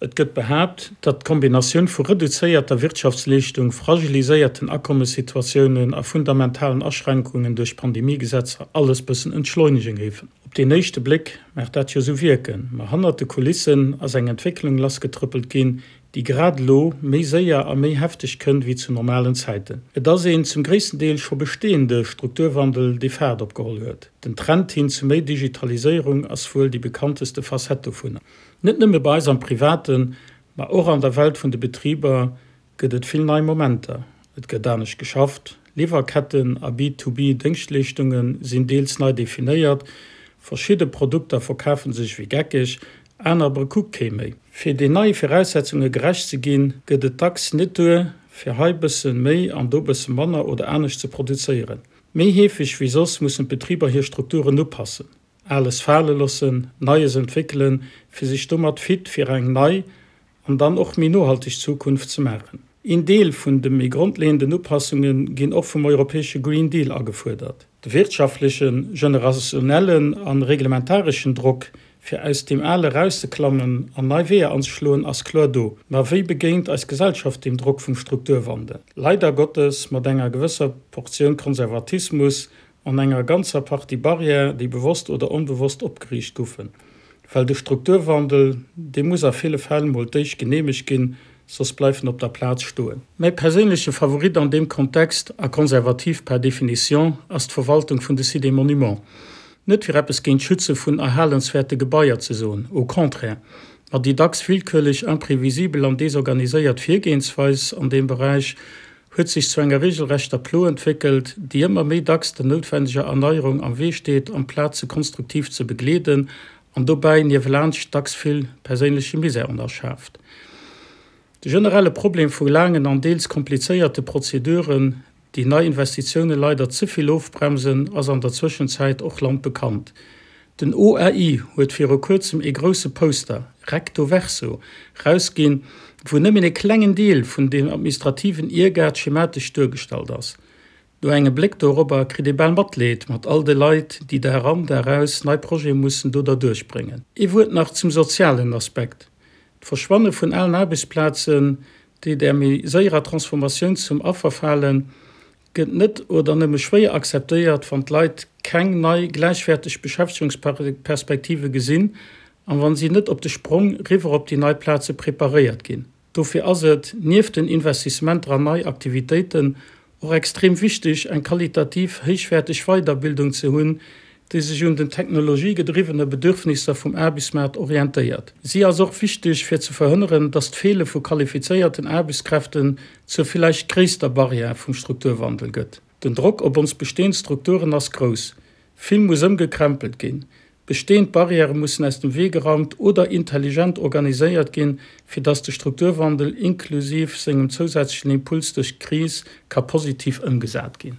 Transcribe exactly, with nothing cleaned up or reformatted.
Et gëtt behaapt, datt d'Kombinatioun vu reduzéierter Wirtschaftsleeschtung, fragiliséierten Akommessituatiounen a fundamentalen Aschränkungen duerch Pandemiegesetzer alles bëssen entschleunege géifen. Op deen éischte Bléck mag dat jo sou wierken, ma hannert de Kulissen ass eng Entwécklung lassgetrëppelt ginn, déi grad elo méi séier a méi hefteg kënnt wéi zu normalen Zäiten. Et ass een zum gréissten Deel scho bestehende Strukturwandel, dee Faart opgeholl huet. Den Trend hin zu méi Digitaliséierung ass wuel déi bekannteste Facette dovunner. Net nëmme bei eis am Privaten, ma och an der Welt vun de Betriber gëtt et vill nei Momenter. Et gëtt anescht geschafft, Liwwerketten a B-to-B-Déngschtleeschtunge sinn deels nei definéiert, verschidde Produkter verkafe sech wéi geckeg, aner kuckt kee méi. Fir den neie Viraussetzunge gerecht ze ginn, gëtt et dacks net duer, fir hei bësse méi an do bësse manner oder anescht ze produzéieren. Méi heefeg wéi soss mussen d'Betriber hir Strukturen upassen. Ales fale loossen, Neies entwéckelen, fir sech domat fit fir eng nei an dann och méi nohalteg Zukunft ze maachen. Een Deel vun de méi grondleeënden Upassunge ginn och vum europäesche Green Deal agefuerdert. De wirtschaftlechen, generationellen a reglementareschen Drock, fir aus deem Ale erauszeklammen an nei Weeër anzeschloen, ass kloer do. Ma wéi begéint eis Gesellschaft deem Drock vum Strukturwandel? Leider Gottes mat enger gewësser Portioun Konservatismus an enger ganzer Partie Barrièren, déi bewosst oder onbewosst opgeriicht goufen. Well de Strukturwandel, dee muss a ville Fäll mol d'éischt geneemegt ginn, soss bleift en op der Plaz stoen. Mäi perséinleche Favorit an deem Kontext, a konservativ per définition, ass d'Verwaltung vun de Sites et Monuments. Net fir eppes géint d'Schütze vun erhalenswäerte Gebaier ze soen, au contraire, ma déi dacks willkürlech, imprevisibel an desorganiséiert Virgehensweis an deem Beräich huet sech zu enger regelrechter Plo entwéckelt, déi ëmmer méi dacks der noutwendeger Erneierung am Wee steet, amplaz se konstruktiv ze begleeden an dobäi niewelaanscht dacks vill perséinleche Misär erschaaft. De generelle Problem vu laangen an deels komplizéierte Prozeduren, déi nei Investitioune leider ze vill ofbremsen, ass an der Zwëschenzäit och landbekannt. Den O A I huet viru kuerzem ee grousse Poster, recto verso, rausginn, wou nëmmen ee klengen Deel vun deem administrativen Iergaart schematesch duergestallt ass. No engem Bléck dorobber kritt ee bal Matleed mat all de Leit, déi Dag an Dag aus nei Projete mussen do derduerch bréngen. Ee Wuert nach zum sozialen Aspekt. D'Verschwanne vun alen Aarbechtsplazen, déi där méi séierer Transformatioun zum Affer falen, gëtt net oder nëmme schwéier akzeptéiert, wann d'Leit keng nei gläichwäerteg Beschäftegungsperspektive gesinn an wa si net op de Sprong riwwer op déi nei Plaze preparéiert ginn. Dofir ass et, nieft den Investissementer an nei Aktivitéiten, och extrem wichteg, eng qualitativ héichwäerteg Weiderbildung ze hunn, déi sech un den technologiegedriwwene Bedürfnisser vum Aarbechtsmaart orientéiert. Si ass och wichteg, fir ze verhënneren, dass d'Feele vu qualifizéierten Aarbechtskräften zur villäicht gréisster Barrière vum Strukturwandel gëtt. Den Drock op ons bestehend Strukturen ass grouss. Vill muss ëmgekrempelt ginn. Bestehend Barrièrë mussen aus dem Wee geraumt oder intelligent organiséiert ginn, fir dass de Strukturwandel inklusiv sengem zousätzlechen Impuls duerch d'Kris ka positiv ëmgesat ginn.